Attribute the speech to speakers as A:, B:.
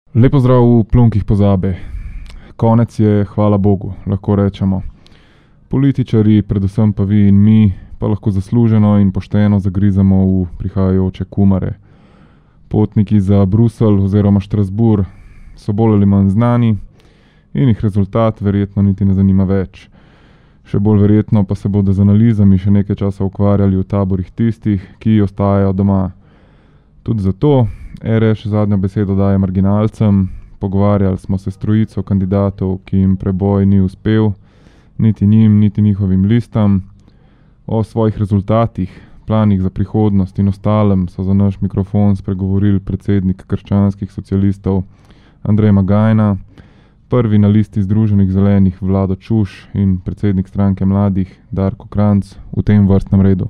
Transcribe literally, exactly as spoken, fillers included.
A: Lep pozdrav v plunkih pozabe. Konec je, hvala Bogu, lahko rečemo. Političari, predvsem pa vi in mi, pa lahko zasluženo in pošteno zagrizamo v prihajajoče kumare. Potniki za Bruselj oziroma Štrasburg so bolj ali manj znani in jih rezultat verjetno niti ne zanima več. Še bolj verjetno pa se bodo z analizami še nekaj časa ukvarjali v taborih tistih, ki ostajajo doma. Tudi zato R Š zadnjo besedo daje marginalcem. Pogovarjali smo se s trojico kandidatov, ki jim preboj ni uspel, niti njim, niti njihovim listam. O svojih rezultatih, planih za prihodnost in ostalem so za naš mikrofon spregovorili predsednik krščanskih socialistov Andrej Magajna, prvi na listi Združenih zelenih Vlado Čuš in predsednik stranke mladih Darko Krajnc v tem vrstnem redu.